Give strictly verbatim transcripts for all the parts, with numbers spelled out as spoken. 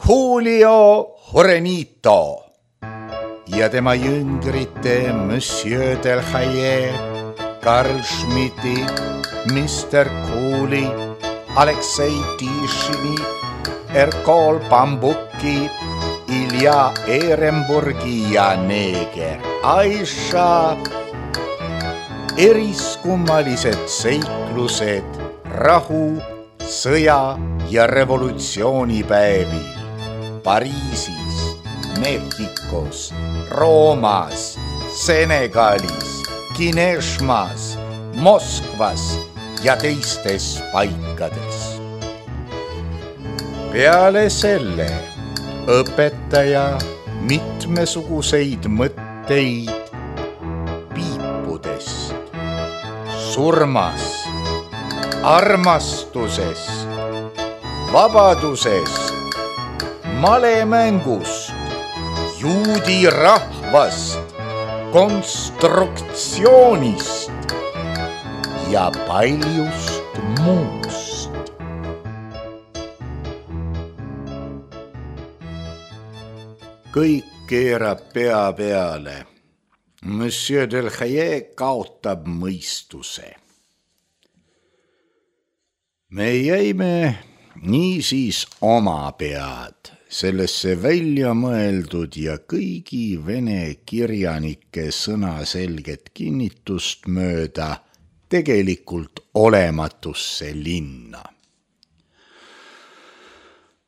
Julio Jurenito ja tema jüngrite Monsieur Delhaye, Karl Schmidti, mister Kooli, Aleksei Tišini, Erkol Bambuki, Ilja Ehrenburgi ja neeger Aisha. Eriskummalised seiklused rahu, sõja ja revolutsioonipäevil Pariisis, Mehhikos, Roomas, Senegalis, Kineshmas, Moskvas ja teistes paikades. Peale selle õpetaja mitmesuguseid mõtteid piipudest, surmast, armastusest, vabadusest, malemängust, juudi rahvast, konstruktsioonist ja paljust muust. Kõik keerab pea peale. Monsieur Delhaye kaotab mõistuse. Me jäime niisiis oma pead sellesse välja mõeldud ja kõigi vene kirjanike sõnaselget kinnitust mööda tegelikult olematusse linna.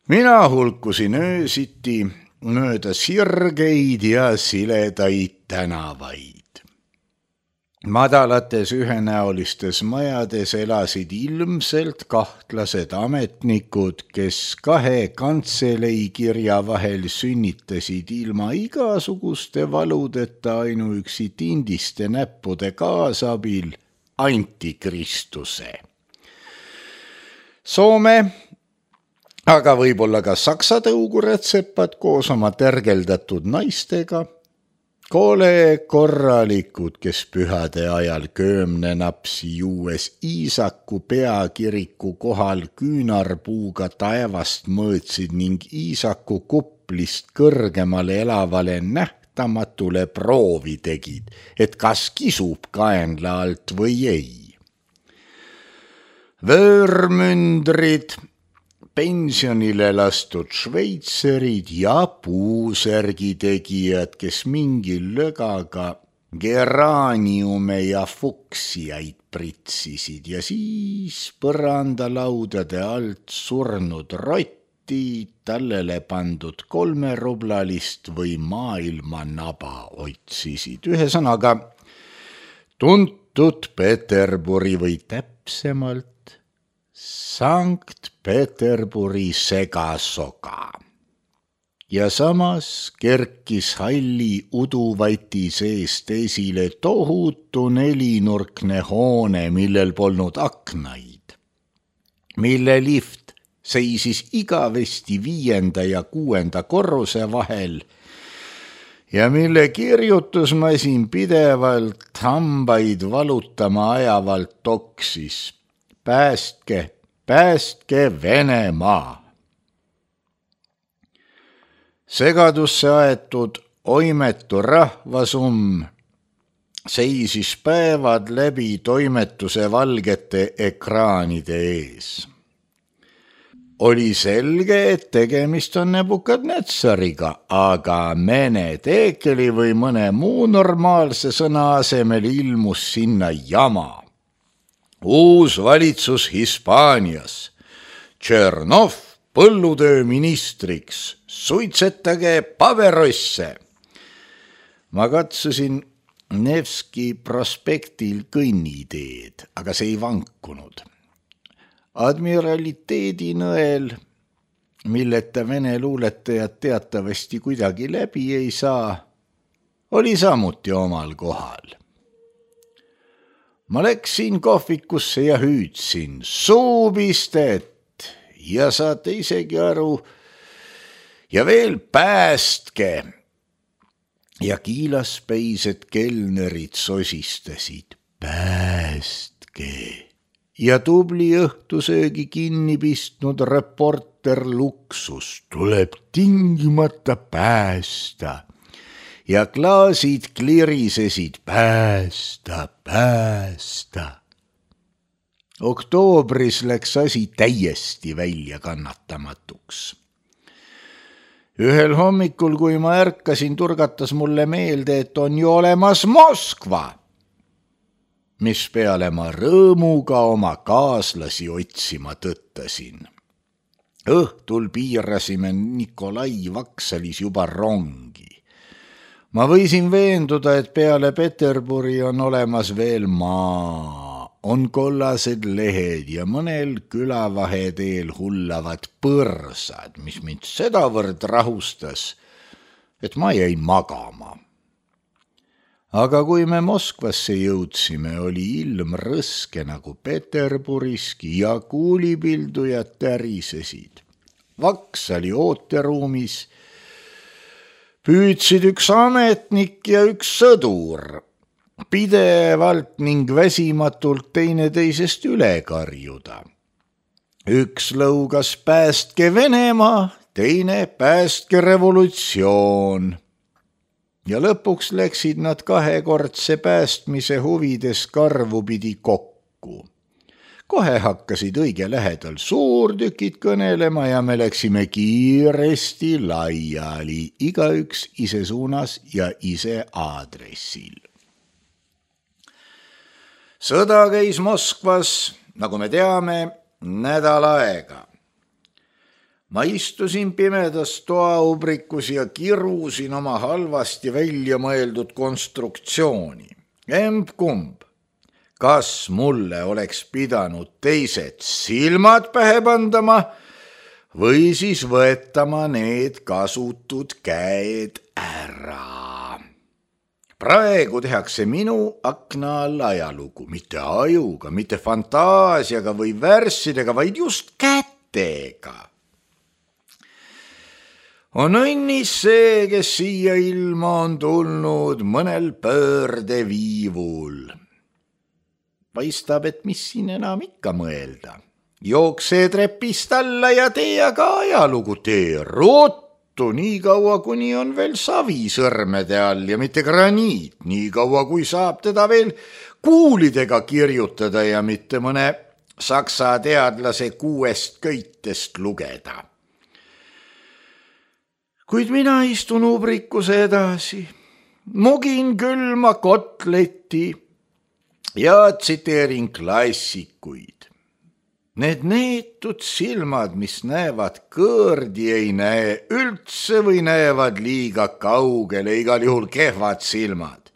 Mina hulkusin öösiti mööda sirgeid ja siledaid tänavaid. Madalates ühenäolistes majades elasid ilmselt kahtlased ametnikud, kes kahe kantselei kirja vahel sünnitasid ilma igasuguste valudeta ainuüksi tindiste näppude kaasabil antikristuse. Soome, aga võib-olla ka saksa tõugurätsepad koos oma tergeldatud naistega, kole korralikud, kes pühade ajal köömnenapsi juues Iisaku peakiriku kohal küünarpuuga taevast mõõtsid ning Iisaku kuplist kõrgemale elavale nähtamatule proovi tegid, et kas kisub kaenla alt või ei. Vöörmündrid, pensionile lastud šveitserid ja puusärgi tegijad, kes mingil lögaga geraniume ja fuksiaid pritsisid ja siis põrandalaudade alt surnud rotti, tallele pandud kolmerublalist või maailma naba otsisid. Ühesõnaga tuntud Peterburi või täpsemalt Sankt Peterburi segasoga. Ja samas kerkis halli uduvati seest esile tohutu nelinurkne hoone, millel polnud aknaid, mille lift seisis igavesti viienda ja kuuenda korruse vahel ja mille kirjutusmasin pidevalt hambaid valutama ajavalt toksis. Päästke, päästke Venemaa. Segadusse aetud oimetu rahvasumm seisis päevad läbi toimetuse valgete ekraanide ees. Oli selge, et tegemist on Nebukadnetsariga, aga Mene Teekeli või mõne muu normaalse sõna asemel ilmus sinna jama. Uus valitsus Hispaanias, Tšernov põllutööministriks, suitsetage paverosse. Ma katsusin Nevski prospektil kõnniteed, aga see ei vankunud. Admiraliteedi nõel, milleta vene luuletajad teatavasti kuidagi läbi ei saa, oli samuti omal kohal. Ma läksin kohvikusse ja hüüdsin suupistet ja saate isegi aru ja veel päästke. Ja kiilaspeised kelnerid sosistasid päästke ja tubli õhtusöögi kinni pistnud reporter Luksus tuleb tingimata päästa ja klaasid klirisesid päästa, päästa. Oktoobris läks asi täiesti välja kannatamatuks. Ühel hommikul, kui ma ärkasin, turgatas mulle meelde, et on ju olemas Moskva, mis peale ma rõõmuga oma kaaslasi otsima tõttasin. Õhtul piirasime Nikolai Vaksalis juba rongi. Ma võisin veenduda, et peale Peterburi on olemas veel maa. On kollased lehed ja mõnel külavaheteel hullavad põrsad, mis mind sedavõrd rahustas, et ma jäin magama. Aga kui me Moskvasse jõudsime, oli ilm rõske nagu Peterburiski ja kuulipildujad tärisesid. Vaksali ooteruumis püüdsid üks ametnik ja üks sõdur pidevalt ning väsimatult teineteisest üle karjuda. Üks lõugas päästke Venemaa, teine päästke revolutsioon. Ja lõpuks läksid nad kahekordse päästmise huvides karvupidi kokku. Kohe hakkasid õige lähedal suurtükid kõnelema ja me läksime kiiresti laiali, igaüks ise suunas ja ise aadressil. Sõda käis Moskvas, nagu me teame, nädal aega. Ma istusin pimedas toaubrikus ja kirusin oma halvasti välja mõeldud konstruktsiooni. Emb-kumb, kas mulle oleks pidanud teised silmad pähe pandama või siis võetama need kasutud käed ära. Praegu tehakse minu akna all ajalugu, mitte ajuga, mitte fantaasiaga või värssidega, vaid just kätega. On õnnis see, kes siia ilma on tulnud mõnel pöördeviivul. Paistab, et mis siin enam ikka mõelda. Jookse trepist alla ja tee aga ajalugu, tee ruttu. Nii kaua, kuni on veel savi sõrmede all ja mitte graniit, nii kaua, kui saab teda veel kuulidega kirjutada ja mitte mõne saksa teadlase kuuest köitest lugeda. Kuid mina istun ubrikus edasi, mugin külma kotleti ja tsiteerin klassikuid. Need neetud silmad, mis näevad kõõrdi, ei näe üldse või näevad liiga kaugele, igal juhul kehvad silmad.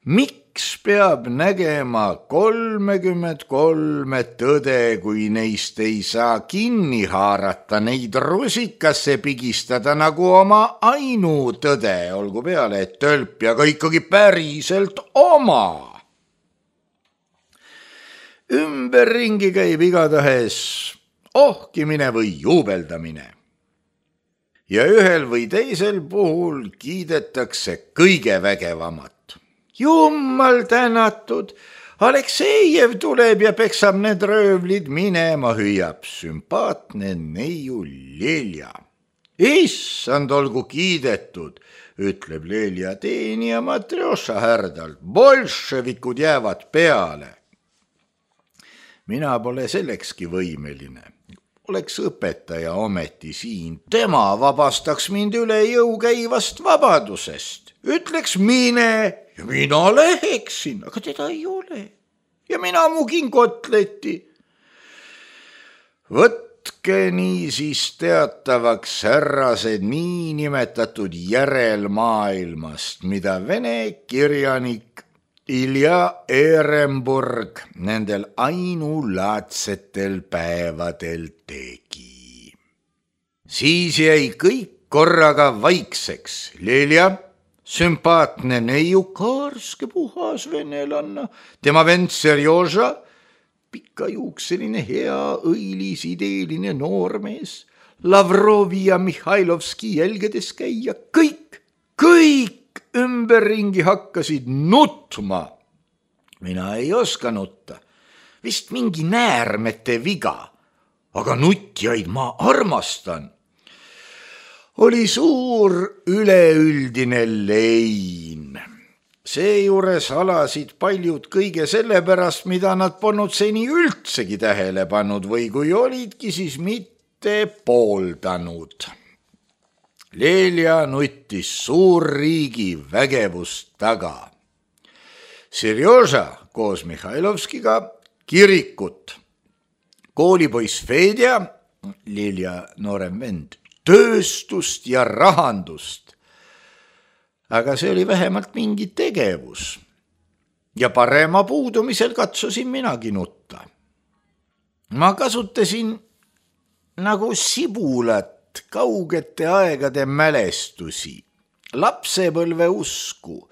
Miks peab nägema kolmekümmend kolme tõde, kui neist ei saa kinni haarata, neid rusikasse pigistada nagu oma ainutõde, olgu peale, et tölp ja ka ikkagi päriselt oma. Ümberringi käib igatahes ohkimine või juubeldamine. Ja ühel või teisel puhul kiidetakse kõige vägevamat. Jummal tänatud, Aleksejev tuleb ja peksab need röövlid minema, hüüab sümpaatne neiu Lelja. Issand, olgu kiidetud, ütleb Lelja teenija Matrjoša härdalt. Bolševikud jäävad peale. Mina pole sellekski võimeline. Oleks õpetaja ometi siin. Tema vabastaks mind üle jõu käivast vabadusest. Ütleks mine ja mina läheksin, aga teda ei ole. Ja mina mugin kotleti. Võtke niisiis teatavaks härrased niinimetatud järelmaailmast, mida vene kirjanik Ilja Ehrenburg nendel ainulaadsetel päevadel tegi. Siis jäi kõik korraga vaikseks. Lelja, sümpaatne neiu, kaarske puhas venelanna, tema vend Serjoža, pikajuukseline hea õilis ideeline noormees, Lavrovi ja Mihhailovski jälgedes käia, kõik, kõik ümberringi hakkasid nutma. Mina ei oska nutta. vist mingi näärmete viga, aga nutjaid ma armastan. Oli suur üleüldine lein. Seejuures alasid paljud kõige selle pärast, mida nad polnud seni üldsegi tähele pannud või kui olidki, siis mitte pooldanud. Lelja nuttis suurriigi vägevust taga. Serjoža koos Mihhailovskiga kirikut. Koolipoiss Fedja, Lelja noorem vend, tööstust ja rahandust. Aga see oli vähemalt mingi tegevus. Ja parema puudumisel katsusin minagi nutta. Ma kasutasin nagu sibulat kaugete aegade mälestusi, lapsepõlve usku,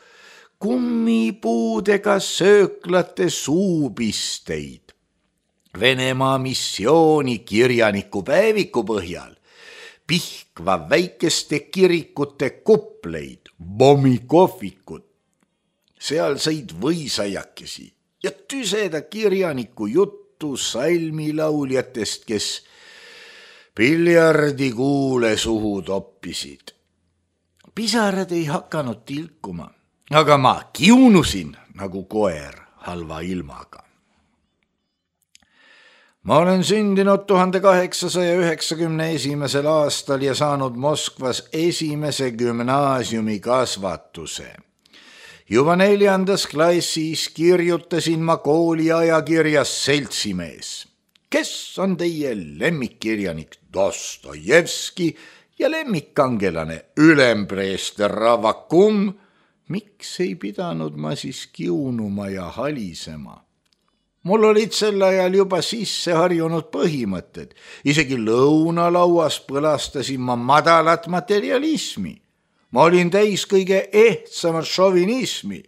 kummipuudega sööklate suupisteid, Venemaa missiooni kirjaniku päeviku põhjal, Pihkva väikeste kirikute kupleid, bommikohvikut, sealseid võisajakesi ja tüseda kirjaniku juttu salmilauljatest, kes piljardikuule suhu toppisid. Pisarad ei hakanud tilkuma, aga ma kiunusin nagu koer halva ilmaga. Ma olen sündinud tuhande kaheksasaja üheksakümne esimesel aastal ja saanud Moskvas esimese gümnaasiumi kasvatuse. Juba neljandas klassis kirjutasin ma kooli ajakirjas Seltsimees. Kes on teie lemmikkirjanik Dostojevski ja lemmikkangelane ülempreester Ravakum? Miks ei pidanud ma siis kiunuma ja halisema? Mul olid sel ajal juba sisse harjunud põhimõtted. Isegi lõunalauas põlastasin ma madalat materialismi. Ma olin täis kõige ehtsamat šovinismi.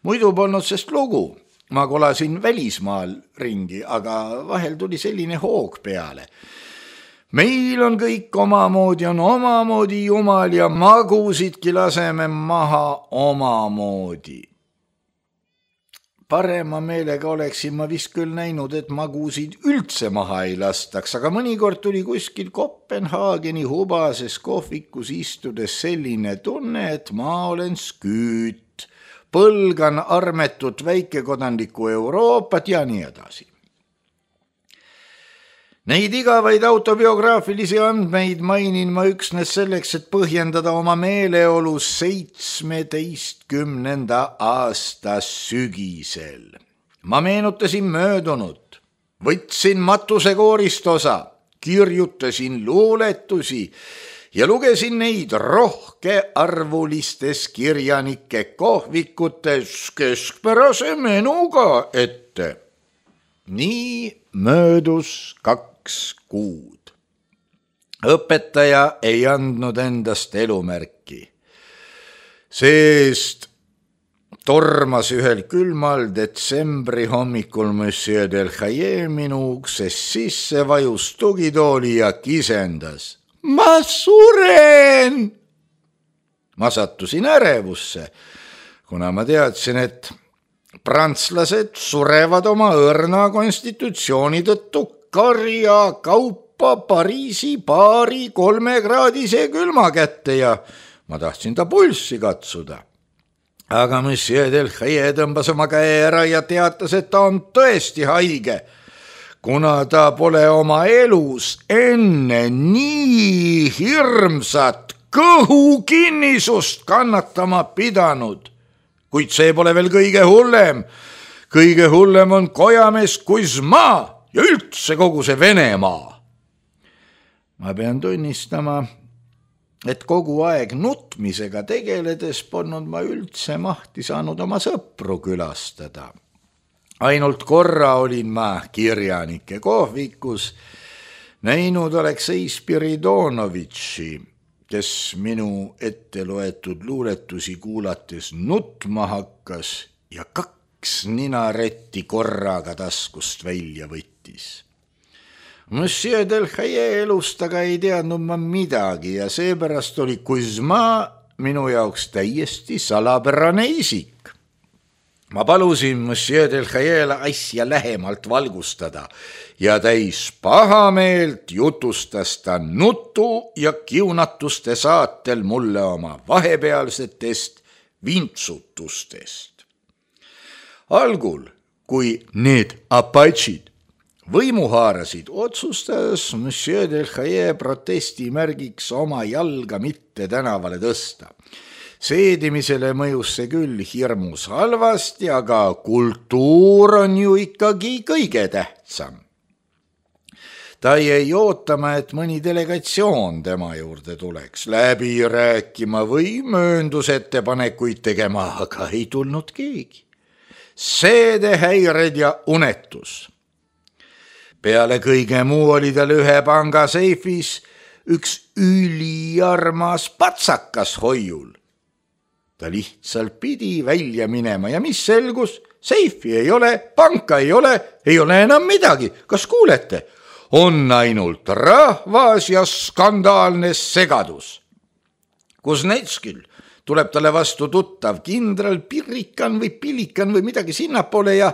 Muidu polnud sest lugu. Ma kolasin välismaal ringi, aga vahel tuli selline hoog peale. Meil on kõik omamoodi, on omamoodi jumal ja magusidki laseme maha omamoodi. Parema meelega oleksin ma vist küll näinud, et magusid üldse maha ei lastaks, aga mõnikord tuli kuskil Kopenhaageni hubases kohvikus istudes selline tunne, et ma olen sküüt, põlgan armetut väikekodanlikku Euroopat ja nii edasi. Neid igavaid autobiograafilisi andmeid mainin ma üksnes selleks, et põhjendada oma meeleolu seitsmeteistkümnenda aasta sügisel. Ma meenutasin möödunut, võtsin matusekoorist osa, kirjutasin luuletusi ja lugesin neid rohkearvulistes kirjanike kohvikutes keskpärase menuga ette. Nii möödus kaks kuud. Õpetaja ei andnud endast elumärki. Seest tormas ühel külmal detsembri hommikul Monsieur Delhaye minu ukses sisse, vajus tugitooli ja kisendas. Ma suren! Ma sattusin ärevusse, kuna ma teadsin, et prantslased surevad oma õrna konstitutsiooni tõttu karja kaupa Pariisi paari kolmekraadise külma kätte ja ma tahtsin ta pulssi katsuda. Aga Monsieur Delhaye tõmbas oma käe ära ja teatas, et ta on tõesti haige, kuna ta pole oma elus enne nii hirmsat kõhukinnisust kannatama pidanud. Kuid see pole veel kõige hullem. Kõige hullem on kojamees Kuzma ja üldse kogu see Venemaa. Ma pean tunnistama, et kogu aeg nutmisega tegeledes polnud ma üldse mahti saanud oma sõpru külastada. Ainult korra olin ma kirjanike kohvikus näinud Aleksei Spiridonovitši, kes minu ette loetud luuletusi kuulates nutma hakkas ja kaks ninaretti korraga taskust välja võttis. Monsieur Delhaye elust aga ei teadnud ma midagi ja seepärast oli Kuzma minu jaoks täiesti salapärane isik. Ma palusin Monsieur Delhaiele asja lähemalt valgustada ja täis pahameelt jutustas ta nutu ja kiunatuste saatel mulle oma vahepealsetest vintsutustest. Algul, kui need apatšid võimu haarasid, otsustas Monsieur Delhaie protesti märgiks oma jalga mitte tänavale tõsta. Seedimisele mõjus see küll hirmus halvasti, aga kultuur on ju ikkagi kõige tähtsam. Ta jäi ootama, et mõni delegatsioon tema juurde tuleks läbi rääkima või mööndusettepanekuid tegema, aga ei tulnud keegi. Seedehäired ja unetus. Peale kõige muu oli tal ühe panga seifis üks üliarmas patsakas hoiul. Ta lihtsalt pidi välja minema ja mis selgus? Seifi ei ole, panka ei ole, ei ole enam midagi. Kas kuulete? On ainult rahvas ja skandaalne segadus. Kuznetskil tuleb talle vastu tuttav kindral Pirrikan või Pilikan või midagi sinnapoole ja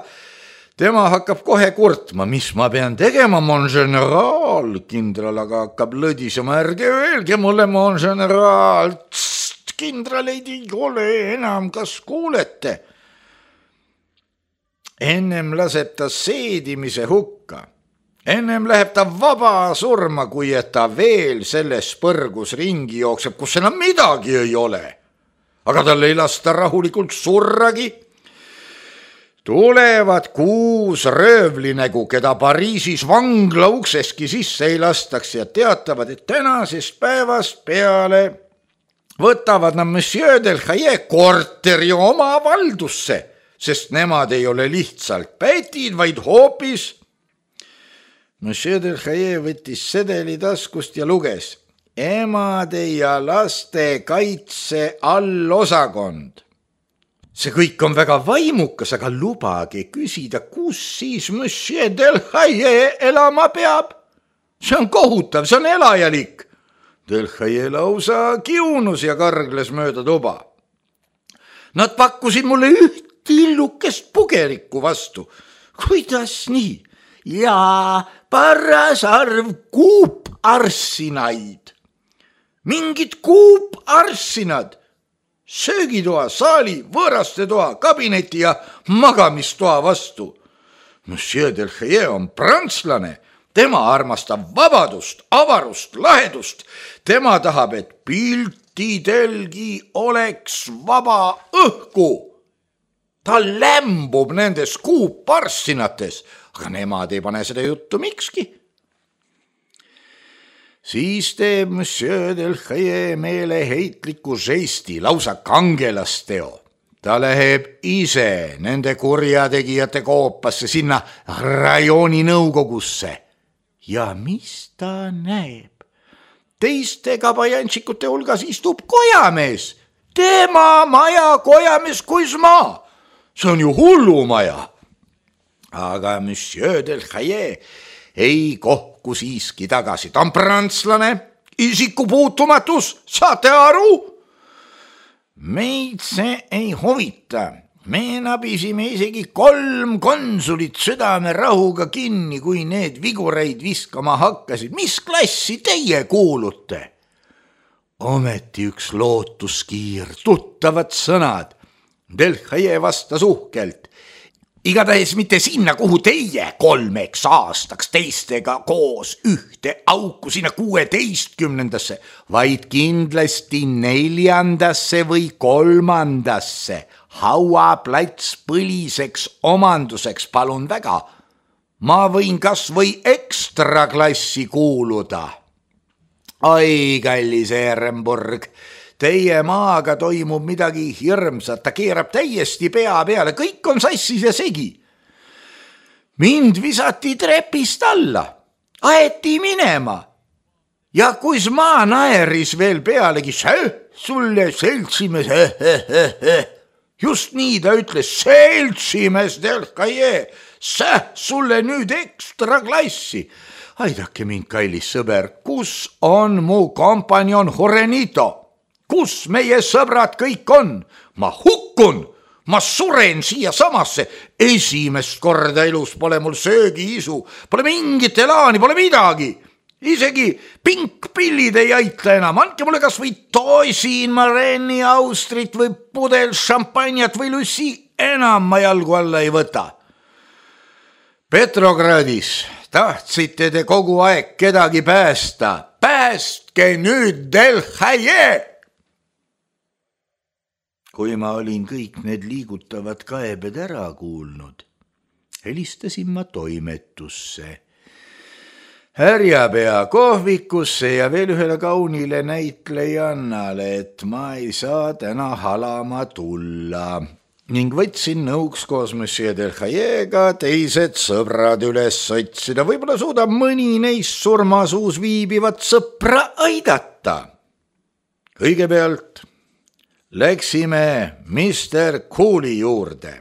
tema hakkab kohe kurtma, mis ma pean tegema, mon general. Kindral aga hakkab lõdisema, ärge öelge mulle, mon general. Tst, kindraleid ei ole enam, kas kuulete? Ennem laseb ta seedimise hukka. Ennem läheb ta vaba surma, kui et ta veel selles põrgus ringi jookseb, kus enam midagi ei ole. Aga tal ei lasta rahulikult surragi. Tulevad kuus röövlinegu, keda Pariisis vangla ukseski sisse ei lastaks ja teatavad, et tänasest päevast peale võtavad nad Monsieur Delhaie korteri oma valdusse, sest nemad ei ole lihtsalt pätid, vaid hoopis. Monsieur Delhaie võttis sedeli taskust ja luges emade ja laste kaitse allosakond. See kõik on väga vaimukas, aga lubage küsida, kus siis Monsieur Delhaie elama peab? See on kohutav, see on elajalik. Delhaie lausa kiunus ja kargles mööda tuba. Nad pakkusid mulle üht tillukest pugerikku vastu. Kuidas nii? Ja paras arv kuuparsinaid. Mingid kuuparsinad. Söögitoa, saali, võõraste toa, kabineti ja magamistoa vastu. Monsieur Delhaie on prantslane. Tema armastab vabadust, avarust, lahedust. Tema tahab, et piltidelgi oleks vaba õhku. Ta lämbub nendes kuuparsinates, aga nemad ei pane seda juttu mikski. Siis teeb Monsieur Delhaie meeleheitliku žesti, lausa kangelasteo. Ta läheb ise nende kurjategijate koopasse sinna rajooni nõukogusse. Ja mis ta näeb? Teiste kabajantšikute hulgas istub kojamees. Tema maja kojamees kuis maa. See on ju hullumaja. Aga Monsieur Delhaie ei kohku siiski tagasi. Ta on prantslane, isikupuutumatus, saate aru? Meid see ei huvita. Me nabisime isegi kolm konsulit südame rahuga kinni, kui need vigureid viskama hakkasid. Mis klassi teie kuulute? Ometi üks lootuskiir, tuttavad sõnad. Delhaie vastas uhkelt. Igatahes mitte sinna, kuhu teie kolmeks aastaks teistega koos ühte auku sinna kuueteistkümnendasse, vaid kindlasti neljandasse või kolmandasse. Hauaplats põliseks omanduseks, palun väga. Ma võin kas või ekstra klassi kuuluda. Ai, kallis Ehrenburg, teie maaga toimub midagi hirmsat, ta keerab täiesti pea peale, kõik on sassis ja segi. Mind visati trepist alla, aeti minema ja kuis maa naeris veel pealegi, see sulle seltsimees, he, he, he, he. Just nii ta ütles, seltsimees Delhaie, see sulle nüüd ekstra klassi. Aidake mind, kallis sõber, kus on mu kompanjon Juanito? Kus meie sõbrad kõik on? Ma hukkun, ma suren siia samasse, esimest korda elus pole mul söögiisu, pole mingit elaani, pole midagi. Isegi pinkpillid ei aita enam, andke mulle kas või toisin, Mareni, Austrit või pudel šampanjat või Lucy, enam ma jalgu alla ei võta. Petrogradis tahtsite te kogu aeg kedagi päästa, päästke nüüd Delhaye! Kui ma olin kõik need liigutavad kaebed ära kuulnud, helistasin ma toimetusse, härjapea kohvikusse ja veel ühele kaunile näitlejannale, et ma ei saa täna halama tulla ning võtsin nõuks koos Monsieur Delhayega teised sõbrad üles otsida, võib-olla suudab mõni neist surmasuus viibivat sõpra aidata. Kõigepealt läksime mister Cooley juurde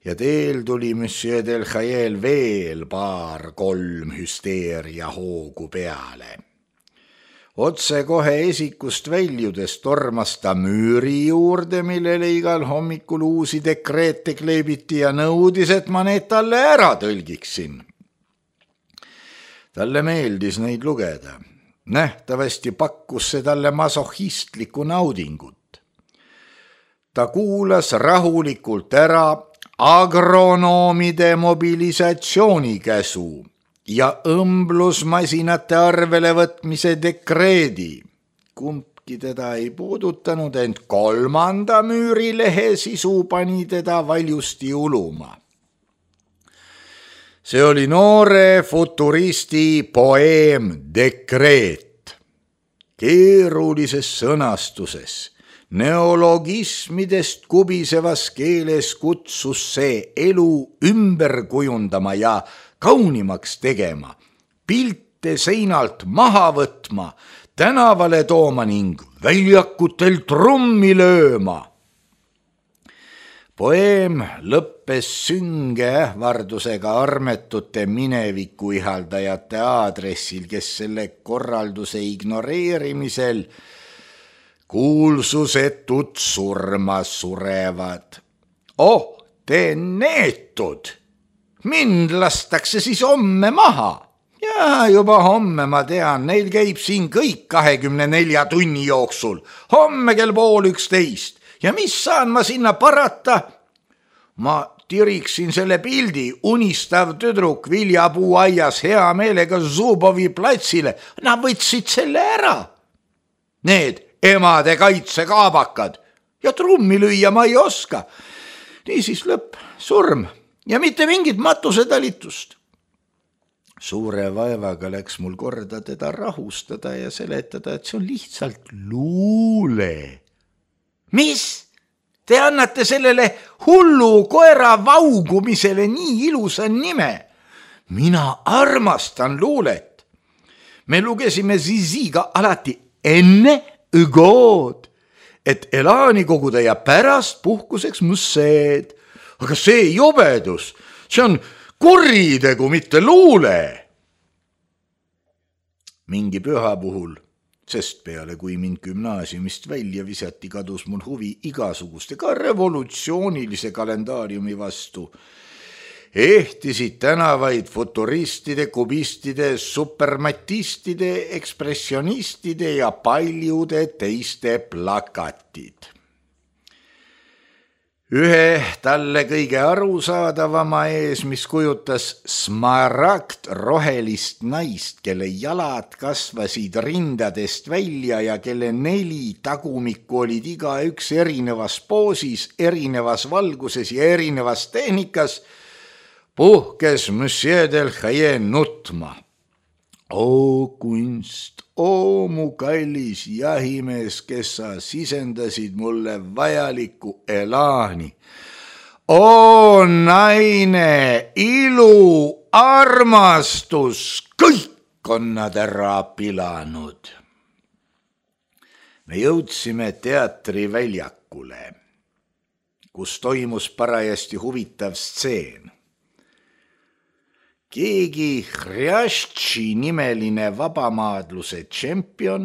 ja teel tuli Monsieur Delhayel veel paar-kolm hüsteeria hoogu peale. Otse kohe esikust väljudes tormas ta müüri juurde, millele igal hommikul uusi dekreete kleebiti ja nõudis, et ma need talle ära tõlgiksin. Talle meeldis neid lugeda. Nähtavasti pakkus see talle masohistlikku naudingut. Ta kuulas rahulikult ära agronoomide mobilisatsioonikäsu ja õmblusmasinate arvele võtmise dekreedi. Kumbki teda ei puudutanud, ent kolmanda müürilehe sisu pani teda valjusti uluma. See oli noore futuristi poeem Dekreet. Keerulises sõnastuses, neologismidest kubisevas keeles kutsus see elu ümber kujundama ja kaunimaks tegema, pilte seinalt maha võtma, tänavale tooma ning väljakutel trummi lööma. Poeem lõppes sünge ähvardusega armetute mineviku ihaldajate aadressil, kes selle korralduse ignoreerimisel kuulsusetut surma surevad. Oh, te neetud! Mind lastakse siis homme maha. Ja juba homme ma tean, neil käib siin kõik kahekümne nelja tunni jooksul. Homme kell pool üksteist. Ja mis saan ma sinna parata? Ma tiriksin selle pildi, unistav tüdruk viljapuu aias hea meelega Zubovi platsile. Nad võtsid selle ära. Need emade kaitsekaabakad. Ja trummi lüüa ma ei oska. Niisiis lõpp, surm. Ja mitte mingit matusetalitust. Suure vaevaga läks mul korda teda rahustada ja seletada, et see on lihtsalt luule. Mis? Te annate sellele hullu koera vaugumisele nii ilusa nime. Mina armastan luulet. Me lugesime Ziziga alati enne õgood, et elaani koguda ja pärast puhkuseks musseed. Aga see jobedus, see on kuritegu, mitte luule. Mingi püha puhul, sest peale kui mind gümnaasiumist välja visati, kadus mul huvi igasuguste ka revolutsioonilise kalendaariumi vastu. Ehtisid tänavaid futuristide, kubistide, supermatistide, ekspressionistide ja paljude teiste plakatid. Ühe talle kõige arusaadavama ees, mis kujutas smaragd rohelist naist, kelle jalad kasvasid rindadest välja ja kelle neli tagumikku olid iga üks erinevas poosis, erinevas valguses ja erinevas tehnikas, puhkes Monsieur Delhaye nutma. O kunst, o mu kallis jahimees, kes sa sisendasid mulle vajaliku elaani. O naine, ilu, armastus, kõik on nad ära pilanud. Me jõudsime teatriväljakule, kus toimus parajasti huvitav stseen. Keegi Hrjaštši nimeline vabamaadluse tšempion,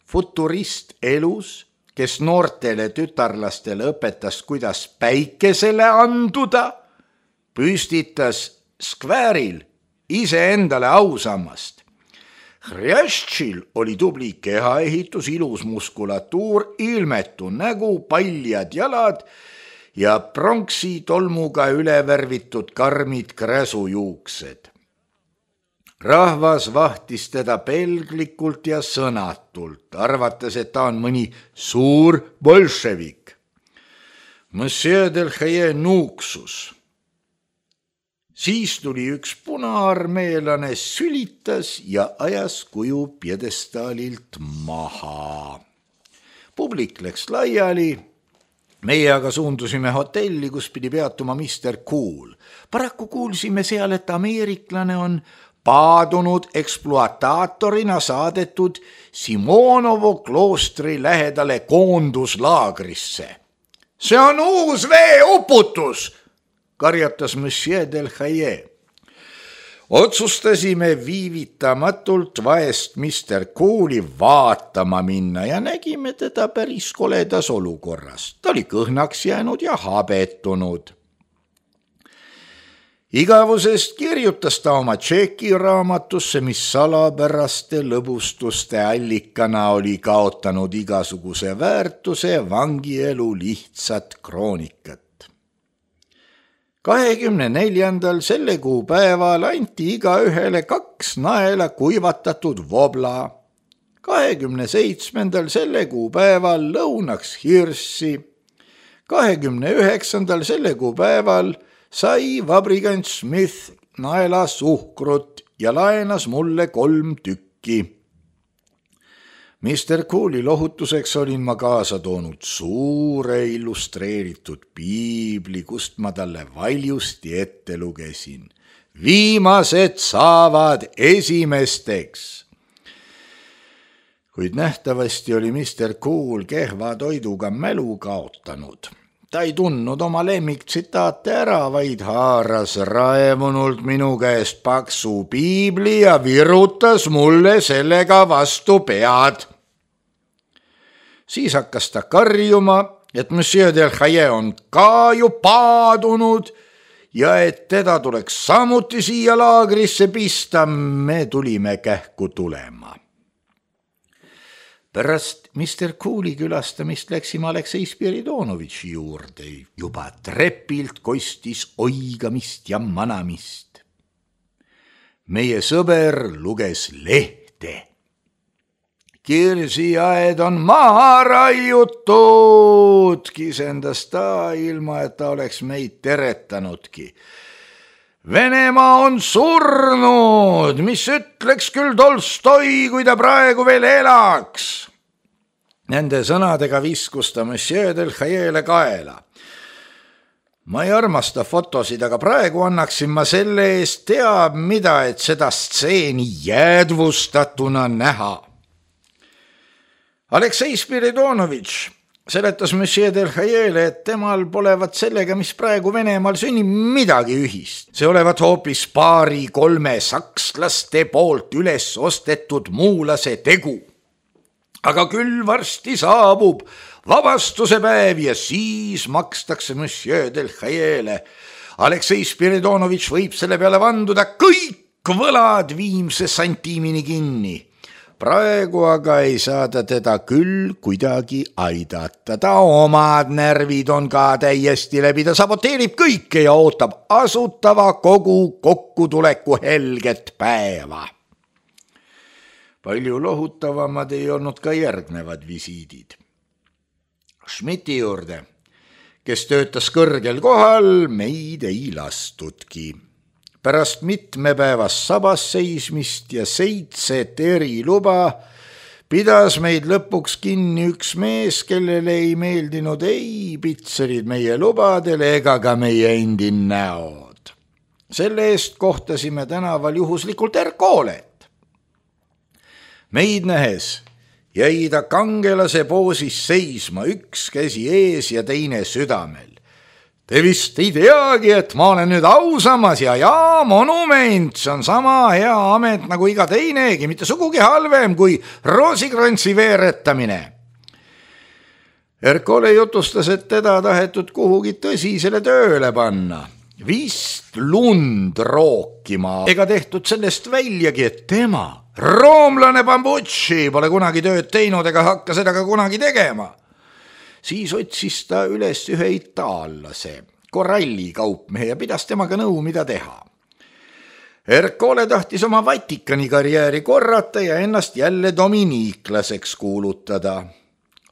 futurist elus, kes noortele tütarlastele õpetas, kuidas päikesele anduda, püstitas skvääril iseendale ausammast. Hrjastšil oli tubli kehaehitus, ilus muskulatuur, ilmetu nägu, paljad jalad ja pronksi tolmuga ülevärvitud karmid kräsujuuksed. Rahvas vahtis teda pelglikult ja sõnatult, arvates, et ta on mõni suur bolševik. Monsieur Delhaye nuuksus. Siis tuli üks punaarmeelane, sülitas ja ajas kuju pjedestaalilt maha. Publik läks laiali. Meie aga suundusime hotelli, kus pidi peatuma mister Cool. Paraku kuulsime seal, et ameeriklane on paadunud ekspluataatorina saadetud Simonovo kloostri lähedale koonduslaagrisse. See on uus veeuputus, karjatas Monsieur Delhaye. Otsustasime viivitamatult vaest mister Cooli vaatama minna ja nägime teda päris koledas olukorras. Ta oli kõhnaks jäänud ja habetunud. Igavusest kirjutas ta oma tšekiraamatusse, mis salapäraste lõbustuste allikana oli kaotanud igasuguse väärtuse vangielu lihtsat kroonikat. kahekümne neljandal selle kuu päeval anti iga ühele kaks naela kuivatatud vobla. kahekümne seitsmendal selle kuu päeval lõunaks hirssi. kahekümne üheksandal selle kuu päeval sai vabrikant Smith naela suhkrut ja laenas mulle kolm tükki. mister Cooli lohutuseks olin ma kaasa toonud suure illustreeritud piibli, kust ma talle valjusti ette lugesin. Viimased saavad esimesteks. Kuid nähtavasti oli mister Cool kehva toiduga mälu kaotanud. Ta ei tundnud oma lemmiktsitaate ära, vaid haaras raevunult minu käest paksu piibli ja virutas mulle sellega vastu pead. Siis hakkas ta karjuma, et Monsieur Delhaye on ka ju paadunud ja et teda tuleks samuti siia laagrisse pista. Me tulime kähku tulema. Pärast mister Cooli külastamist läksime Aleksei Spiridonovitši juurde. Juba trepilt kostis oigamist ja manamist. Meie sõber luges lehte. Kirsiaed on maha raiutud, kisendas ta, ilma et ta oleks meid teretanudki. Venemaa on surnud, mis ütleks küll Tolstoi, kui ta praegu veel elaks. Nende sõnadega viskus ta Monsieur Delhayele kaela. Ma ei armasta fotosid, aga praegu annaksin ma selle eest teab mida, et seda stseeni jäädvustatuna näha. Aleksei Spiridonovitš seletas Monsieur Delhayele, et temal polevat sellega, mis praegu Venemaal sünnib, midagi ühist. See olevat hoopis paari kolme sakslaste poolt üles ostetud muulase tegu. Aga küll varsti saabub vabastuse päev ja siis makstakse Monsieur Delhayele. Aleksei Spiridonovitš võib selle peale vanduda kõik võlad viimse santiimini kinni. Praegu aga ei saada teda küll kuidagi aidata. Ta omad närvid on ka täiesti läbi, ta saboteerib kõike ja ootab asutava kogu kokkutuleku helget päeva. Palju lohutavamad ei olnud ka järgnevad visiidid. Schmidti juurde, kes töötas kõrgel kohal, meid ei lastudki. Pärast mitmepäevast sabas seismist ja seitset eriluba pidas meid lõpuks kinni üks mees, kellele ei meeldinud ei pitserid meie lubadele ega ka meie endi näod. Selle eest kohtasime tänaval juhuslikult Erkoolet. Meid nähes jäi ta kangelase poosis seisma, üks käsi ees ja teine südamel. Te vist ei teagi, et ma olen nüüd ausammas ja jaa, monument, see on sama hea amet nagu iga teinegi, mitte sugugi halvem kui roosikrantsi veeretamine. Ercole jutustas, et teda tahetud kuhugi tõsisele tööle panna. Vist lund rookima, ega tehtud sellest väljagi, et tema, roomlane Bambucci, pole kunagi tööd teinud ega hakka seda ka kunagi tegema. Siis otsis ta üles ühe itaallase, koralli kaupmehe ja pidas temaga nõu, mida teha. Ercole tahtis oma Vatikani karjääri korrata ja ennast jälle dominiiklaseks kuulutada.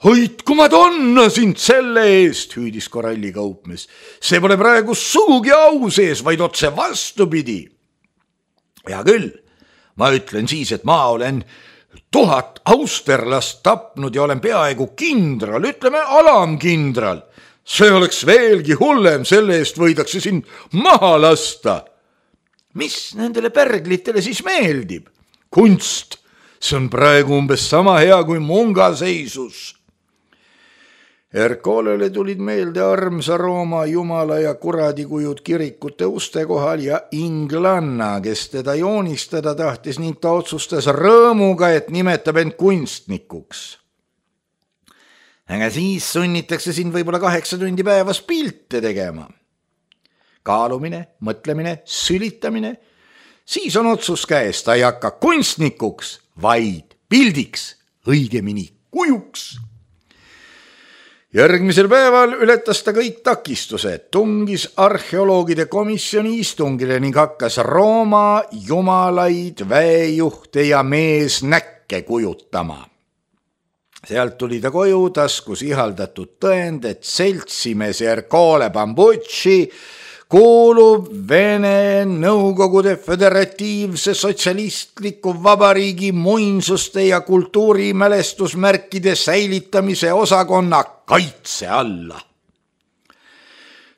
Hoidku ma tonna sind selle eest, hüüdis koralli kaupmees. See pole praegu sugugi au sees, vaid otse vastupidi. Ja küll, ma ütlen siis, et ma olen tuhat austerlast tapnud ja olen peaaegu kindral, ütleme alamkindral. See oleks veelgi hullem, selle eest võidakse sind maha lasta. Mis nendele pärglitele siis meeldib? Kunst, see on praegu umbes sama hea kui mungaseisus. Ercolele tulid meelde armsa Rooma jumala ja kuradikujud kirikute uste kohal ja inglanna, kes teda joonistada tahtis ning ta otsustas rõõmuga, et nimetab end kunstnikuks. Aga siis sunnitakse sind võib-olla kaheksa tundi päevas pilte tegema. Kaalumine, mõtlemine, sülitamine. Siis on otsus käes, ta ei hakka kunstnikuks, vaid pildiks, õigemini kujuks. Järgmisel päeval ületas ta kõik takistused, tungis arheoloogide komisjoni istungile ning hakkas Rooma jumalaid, väejuhte ja meesnäkke kujutama. Sealt tuli ta koju, taskus ihaldatud tõend, et seltsimees Ercole Bambucci kuulub Vene Nõukogude Föderatiivse Sotsialistliku Vabariigi muinsuste ja kultuurimälestusmärkide säilitamise osakonna kaitse alla.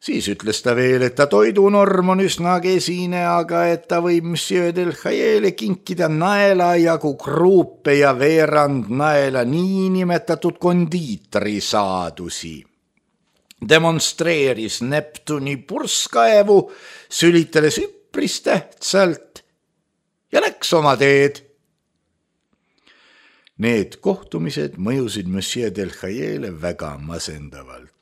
Siis ütles ta veel, et ta toidunorm on üsna kesine, aga et ta võib Monsieur del Hayele kinkida naela jagu kruupe ja veerand naela niinimetatud kondiitri saadusi. Demonstreeris Neptuni purskaevu, sülitades üpris tähtsalt ja läks oma teed. Need kohtumised mõjusid Monsieur del Hayele väga masendavalt.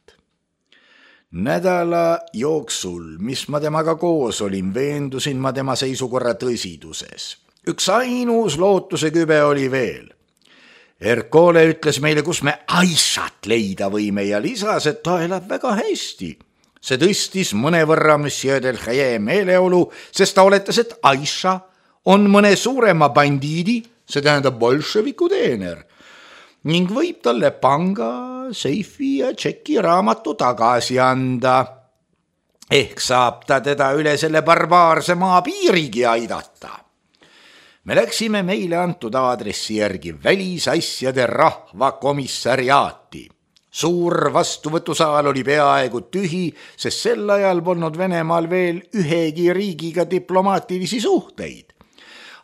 Nädala jooksul, mis ma temaga koos olin, veendusin ma tema seisukorra tõsiduses. Üks ainus lootuse kübe oli veel. Ercole ütles meile, kus me Aishat leida võime ja lisas, et ta elab väga hästi. See tõstis mõnevõrra Monsieur del Haye meeleolu, sest ta oletas, et Aisha on mõne suurema bandiidi, see tähendab bolševiku teener, ning võib talle panga, seifi ja tšeki raamatu tagasi anda. Ehk saab ta teda üle selle barbaarse maa piirigi aidata. Me läksime meile antud aadressi järgi välisasjade rahvakomissariaati. Suur vastuvõtusaal oli peaaegu tühi, sest sel ajal polnud Venemaal veel ühegi riigiga diplomaatilisi suhteid.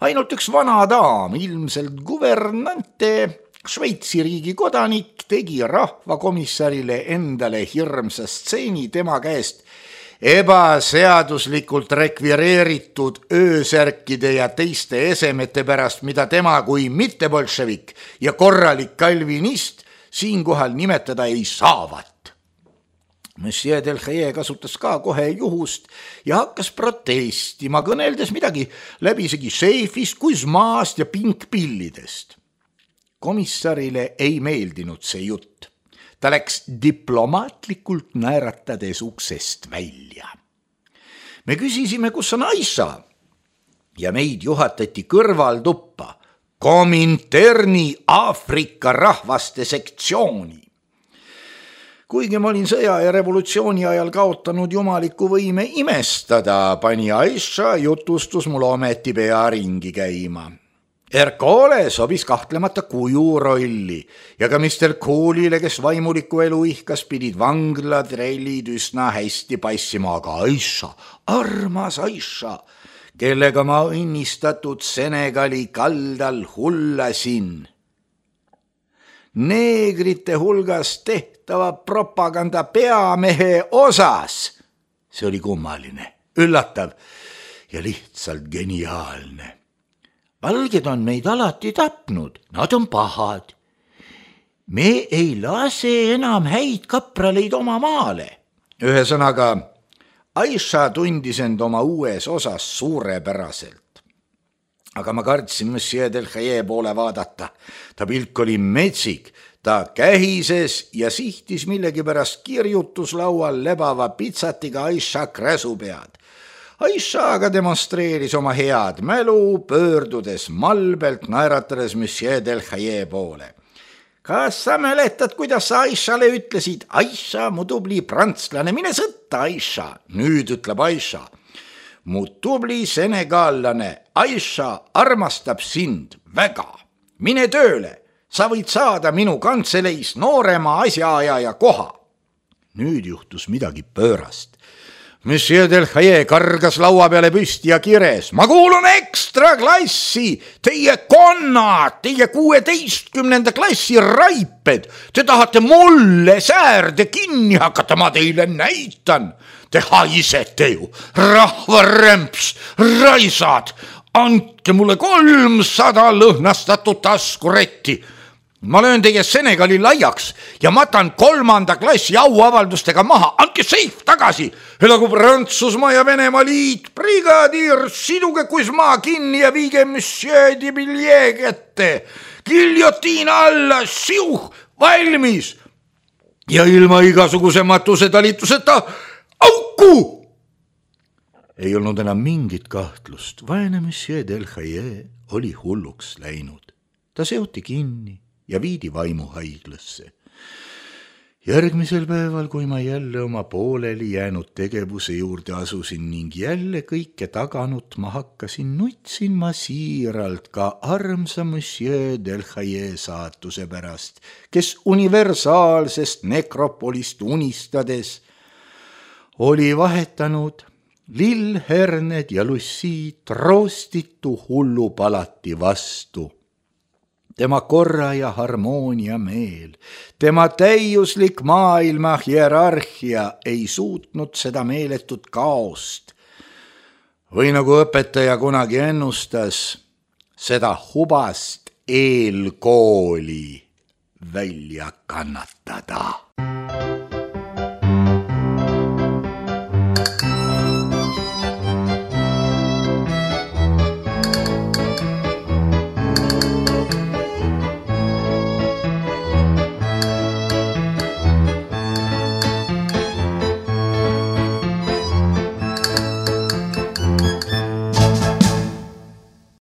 Ainult üks vana daam, ilmselt guvernante, Šveitsi riigi kodanik, tegi rahvakomissarile endale hirmsa stseeni tema käest ebaseaduslikult rekvireeritud öösärkide ja teiste esemete pärast, mida tema kui mittebolševik ja korralik kalvinist siinkohal nimetada ei saavat. Monsieur del Haye kasutas ka kohe juhust ja hakkas protestima, kõneldes midagi läbisegi seifist, kuismaast ja pinkpillidest. Komissarile ei meeldinud see jutt. Ta läks diplomaatlikult naeratades uksest välja. Me küsisime, kus on Aisha ja meid juhatati kõrvaltuppa Kominterni Aafrika rahvaste sektsiooni. Kuigi ma olin sõja ja revolutsiooni ajal kaotanud jumaliku võime imestada, pani Aisha jutustus mul ometi pea ringi käima. Ercole sobis kahtlemata kuju rolli ja ka mister Coolile, kes vaimuliku elu ihkas, pidid vanglatrellid üsna hästi passima, aga Aisha, armas Aisha, kellega ma õnnistatud Senegali kaldal hullasin. Neegrite hulgas tehtava propaganda peamehe osas. See oli kummaline, üllatav ja lihtsalt geniaalne. Valged on meid alati tapnud, nad on pahad. me ei lase enam häid kapraleid oma maale. Ühesõnaga, Aisha tundis end oma uues osas suurepäraselt. Aga ma kartsin Monsieur Delhaye poole vaadata. Ta pilk oli metsik, ta kähises ja sihtis millegipärast kirjutuslaual lebava pitsatiga Aisha kräsu pead. Aisha aga demonstreeris oma head mälu, pöördudes malbelt naeratades Monsieur Delhaye poole. Kas sa mäletad, kuidas sa Aishale ütlesid? Aisha, mu tubli prantslane, mine sõtta, Aisha. Nüüd ütleb Aisha. Mu tubli senegallane, Aisha armastab sind väga. Mine tööle, sa võid saada minu kantseleis noorema asjaajaja koha. Nüüd juhtus midagi pöörast. Monsieur Delhaye kargas laua peale püsti ja kires. Ma kuulun ekstra klassi, teie konnad, teie kuueteistkümnenda klassi raiped. Te tahate mulle säärde kinni hakata, ma teile näitan. Te haisete ju, rahvaremps, raisad. Andke mulle kolmsada lõhnastatud taskuretti. Ma löön teie Senegali laiaks ja matan kolmanda klassi auavaldustega maha. Andke seif tagasi. Elagu Prantsusmaa ja Venemaa liit. Brigadiir, siduge Kuismaa kinni ja viige Monsieur de Villiers kätte. Giljotiin alla, siuh, valmis. Ja ilma igasuguse matuse talituseta auku. Ei olnud enam mingit kahtlust. Vaene Monsieur Delhaye oli hulluks läinud. Ta seoti kinni ja viidi vaimuhaiglasse. Järgmisel päeval, kui ma jälle oma pooleli jäänud tegevuse juurde asusin ning jälle kõike taganut ma hakkasin, nutsin ma siiralt ka armsa Monsieur Delhaye saatuse pärast, kes universaalsest nekropolist unistades oli vahetanud lillherned ja Lucy troostitu hullupalati vastu. Tema korra ja harmoonia meel, tema täiuslik maailma hierarhia ei suutnud seda meeletut kaost. Või nagu õpetaja kunagi ennustas, seda hubast eelkooli välja kannatada.